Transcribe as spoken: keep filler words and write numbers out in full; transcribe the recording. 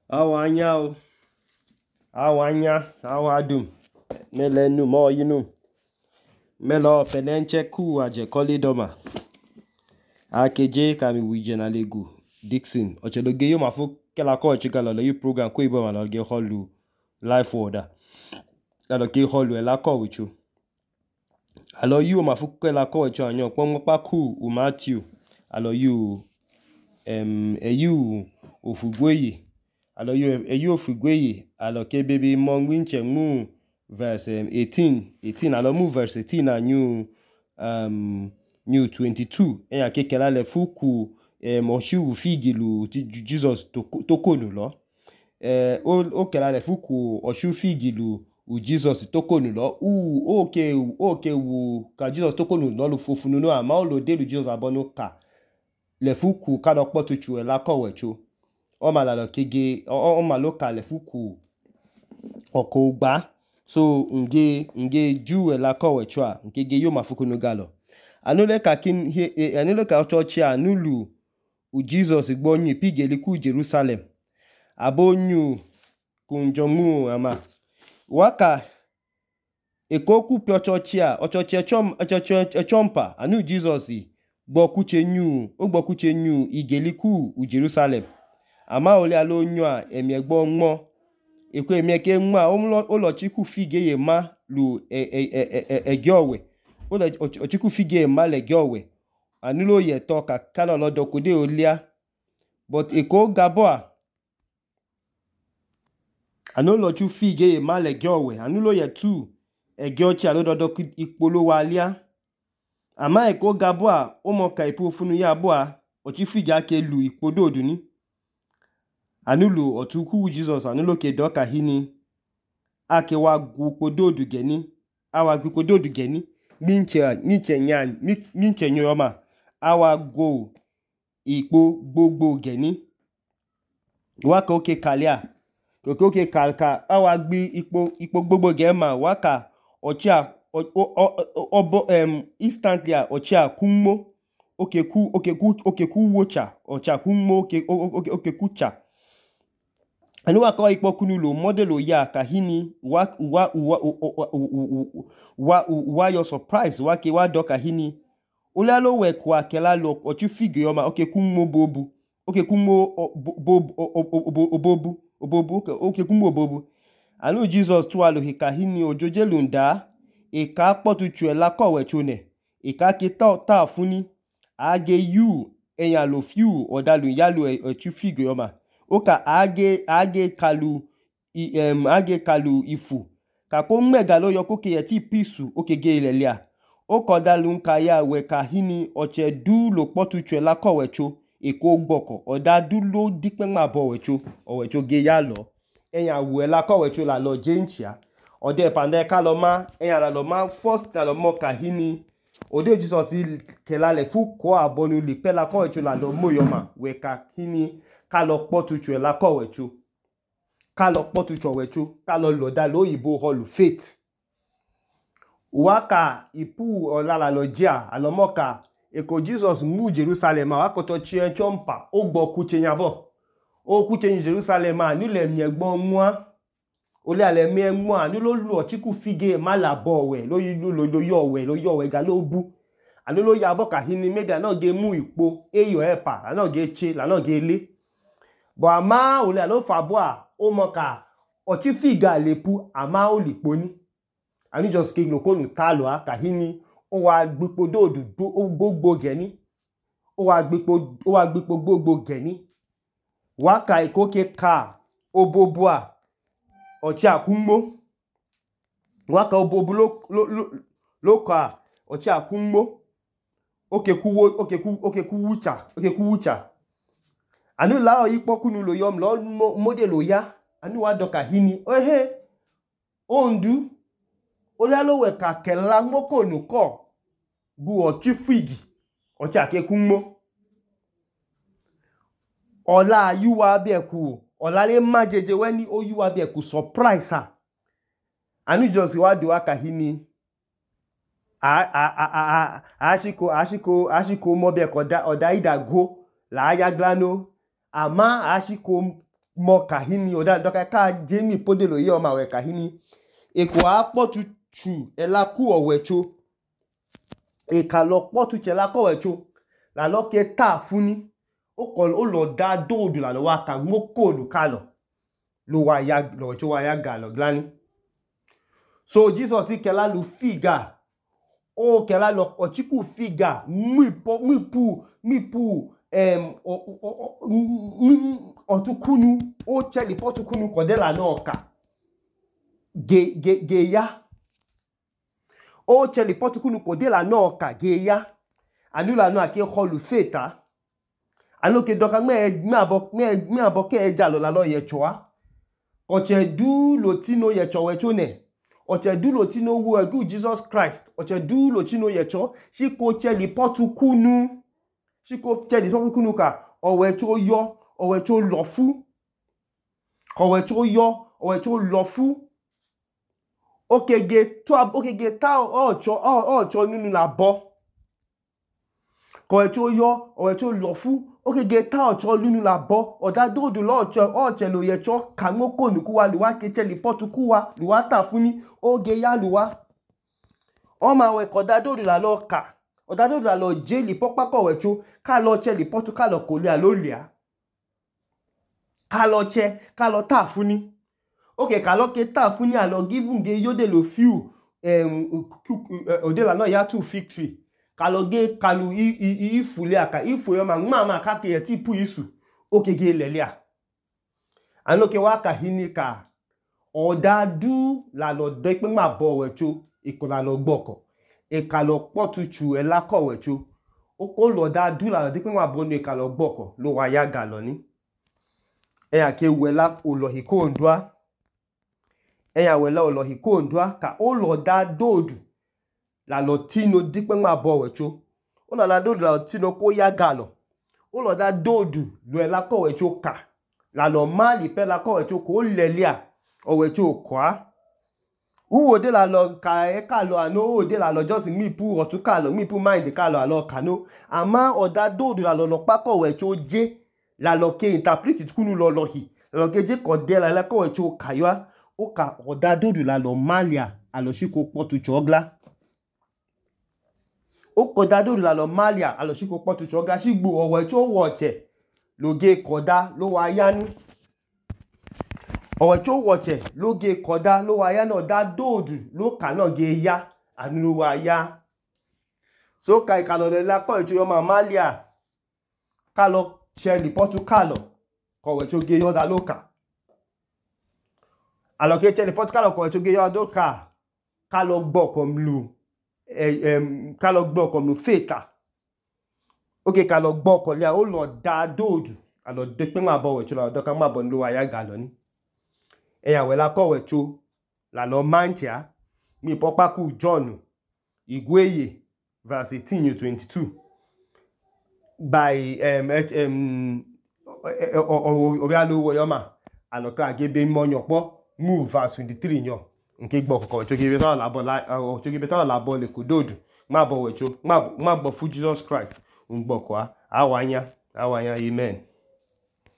Awanya o, awanya, awadum, melenu mo yinu, melo penenche ku aje koli doma. Akeje kami wije na legu Dixon. Ochedoge yo mafu kela ko chigala lo yu program ko ibo malo ge holu life order. Alo ke holu ela ko wichu. Alo yu mafu kela ko wichu anyo pon pa ku u Matthew. Alo yu em eyu ofugweye. Alo yu eyu ofugweye alo ke baby monginche mu verse um, eighteen eighteen alo mu verse eighteen na new um new twenty-two eya ke kela le fuku em oshu figilu Jesus tokonu lo. Eh o o kela le fuku oshu figilu u Jesus tokonu lo. U oke oke wu ka Jesus tokonu lo lu fofunu no ama o lo de lu Jesus abonu ka. Le fuku ka do potuchu e la ko wecho. O malalo kege o maloka le fuku oko ugba. So nge nge ju e la ko wecho a nkege yo mafuku no galo. Anule ka kin he anule ka church a nulu u Jesus gbo nyi pigeli ku Jerusalem. Abonyu kunjomu ama waka ekoku pio church a o church echom echompa anu Jesus gbo kuche nyu o gbo kuche nyu igeli ku u Jerusalem. Ama ole alo nyu a emi egbo nmo ekwe emi eke nmo a o lo chiku fige ye ma lu e e e ege owe o lo chiku fige ye ma le ege owe anulo ye to ka kana lo dokode olia but eko gabo a anulo chu fige ye ma le ege owe anulo ye tu ege ochi alo dodo ipolo wa alia ama eko gabo a o mo ka ipu funu ya abo a o chi fige ake lu ipodo oduni anulu otuku Jesus anulo ke doka hini ake wa gu pododu geni awa gu pododu geni minche minche nyan minche nyoma awa go ipo gbogbo geni waka oke kalia oke oke kalka awa gbi ipo ipo gbogbo gema waka ochia obo em instantly ochia kunmo oke ku oke ku oke ku wocha ochia kunmo oke oke oke kucha anu waka ipo kunulo modelo ya kahini wa wa wa wa wa your surprise wa ke wa do kahini ulalo we kwa kela lo ochu figure yoma oke kunmo bobu oke kunmo bobu obobu obobu oke kunmo bobu anu Jesus tu alo kahini ojojelu nda e ka potuchu ela ko we chune e ka ke ta ta funi age you eyan lo few odalu yalu ochu figure yoma oka age age kalu i em age kalu ifu ka ko mmega lo yo koke yeti pisu oke ge ilelia o kodalu nka ya we kahini oche du lo potuchu la ko wecho eko gboko oda du lo dipe ma bo wecho o wecho ge ya lo eyan wu la ko wecho la lo jenchia ode pande ka lo ma eyan la lo ma first la lo mo kahini ode Jesus kela le fu ko abonu li pe la ko wecho la lo moyoma we kahini ka lo potuchu la ko wecho ka lo potuchu wecho ka lo lo da lo yibo holu faith waka ipu olala lo jia alomoka eko Jesus mu Jerusalem waka to chie chompa o gbo kuche nyabo o kuche Jerusalem a ni le mi egbo nwa ole ale mi enwa ni lo lu ochiku fige ma la bo we lo yi lo lo yo we lo yo we ga lo bu anu lo ya bo kahini media na ge mu ipo eyo epa na ge che la na ge le bo ama ole alo fabo a o moka ochi figa lepu ama o lipo ni ani just ke lo konu talo a kahini o wa gbipo dodu gbogbo geni o wa gbipo o wa gbipo gbogbo geni waka ikoke ka obobu a ochi akunmo waka obobu lo lo lo ka ochi akunmo oke kuwo oke ku oke kuwucha oke kuwucha anu la o ipo kunu lo yom lo modelo ya anu wa doka hini ehe ondu ole alo we ka kela ngoko nu ko gu ochi figi ochi akekunmo ola yuwa bi eku ola le majeje weni o yuwa bi eku surprise a anu just wa do aka hini a a a a ashiko ashiko ashiko mo bi eko da oda ida go la ya glano ama ashiko mọ kahini oda doka ka jemi podelo ye ọma we kahini eko akpọtu chu elaku ọwẹcho ekalo kpọtu chu elaku ọwẹcho lalọ ke ta funi ó lọ da dóòdù lalọ wa ka gbókòlù kalọ ló wa ya lọwẹcho wa ya galọ glani. So Jesus kẹla lu figa ó kẹla lọ ọchiku figa mwipo mwipu mwipu em ọtukunu ó chẹli pọtukunu kọdẹla náà ka ge ge ge ya ó chẹli pọtukunu kọdẹla náà ka ge ya anula náà ke họlu feta anoke dọka mẹ abọ mẹ abọ kẹ ẹja lọ lalọ yẹchọa ọchẹdu lotino yẹchọ wẹcho nẹ ọchẹdu lotino wu ẹgu Jesus Christ ọchẹdu lotino yẹchọ ṣíkò chẹli pọtukunu ṣíkò chẹli pọtukunu ka ọwẹcho yọ ọwẹcho lọfu ọwẹcho yọ ọwẹcho lọfu okege tó okege ta ọchọ ọchọ nínú labọ ọwẹcho yọ ọwẹcho lọfu okege ta ọchọ nínú labọ ọdá dóòdù lọọchọ ọchẹ lo yẹchọ kàngókò nùkúwa lùwá kechẹli pọtukúwa lùwá tà fúnni oge ya lùwá ọmọ àwẹ kọdá dóòdù lalọ kà ọdá dóòdù lalọ jẹli pọpákọ ọwẹcho kálọ chẹli pọtu kálọ kòlẹ àlólìá kálọ chẹ kálọ tà fúnni oke kálọ ke tà fúnni àlọ giving ge yóde lo fiu òdèlà náà yá tù fig tree kálọ ge kálù ìfùlẹ àkà ìfùlẹ ọmọ àmà àmà kákẹ ẹtí pù ìsù oke ge lẹlẹà ànókè wá kàhíní ka ọdá dú lalọ dẹpẹ má bọ ọwẹcho ìkọ lalọ gbọkọ ìkàlọ pọtuchu ẹlákọ ọwẹcho ó lọdá dú lalọ dẹpẹ má bọ ní ìkàlọ gbọkọ ló wá yá galọ ní ẹyà ke wẹlá olọhì kóòndúà ẹyà wẹlá olọhì kóòndúà ka ó lọdá dóòdù lalọ tino dẹpẹ má bọ ọwẹcho ó lọdá dóòdù lalọ tino kó yá galọ ó lọdá dóòdù lọ ẹlákọ ọwẹcho ka lalọ má lìpẹ ẹlákọ ọwẹcho kó lẹlẹà ọwẹcho kọá uwo de la lọ ka ẹ kálọ àná ó de la lọ jọ́sìn mípu ọ̀tún kálọ mípu máìndì kálọ àlọ kànó àmá ọ̀dá dóòdù la lọ lọ pákọ̀ wẹ̀cho jẹ́ la lọ ke interpret kúnú lọ lọ hì lọ ke jẹ́ kọ̀dẹ́ la lẹ́kọ̀ wẹ̀cho kàyọ́ ó ka ọ̀dá dóòdù la lọ máàlìà àlọ́síkò pọ̀tù chọ́glá ó kọ̀dá dóòdù la lọ máàlìà àlọ́síkò pọ̀tù chọ́glá sígbò ọ̀wẹ̀cho wọ̀ọ̀chẹ̀ lóge kọ̀dá ló wá yá ní ọ̀wẹ̀cho wọ̀ọ̀chẹ̀ lóge kọ̀dá ló wá yá náà dá dóòdù ló kà náà ge yá àní ló wá yá so ka ìkàlọ̀ lẹ́la kọ́ ìcho yọ máàlìà kálọ̀ ṣẹlì pọ́tù kálọ̀ kọ̀wẹ̀cho ge yọ́dá ló kà àlọ́kẹ́ ṣẹlì pọ́tù kálọ̀ kọ̀wẹ̀cho ge yọ́dá ló kà kálọ̀ gbọ́kọ̀ mlù kálọ̀ gbọ́kọ̀ mlù fètà ókè kálọ̀ gbọ́kọ̀ lẹ́à ó lọ dá dóòdù àlọ́ dé pé má bọ̀ wẹ̀cho lọ́dọ́ ká má bọ̀ ní ló wá yá gà lọ ní ẹ̀yà wẹ̀lá kọ̀wẹ̀cho làlọ́ manchia mi pọ́pákù John Igweye verse eighteen to twenty-two by Obialowo Yoma alọ́kà agébé mọ́nyọ̀pọ̀ move verse twenty-three yàn nke gbọ́ kọ̀kọ̀ wẹ̀cho gébé tọ́lá làbọ̀ ọ̀chọ́ gébé tọ́lá làbọ̀ lè kò dóòdù má bọ̀ wẹ̀cho má bọ̀ fún Jesus Christ ń gbọ́ kọ́ àwáyá àwáyá amen.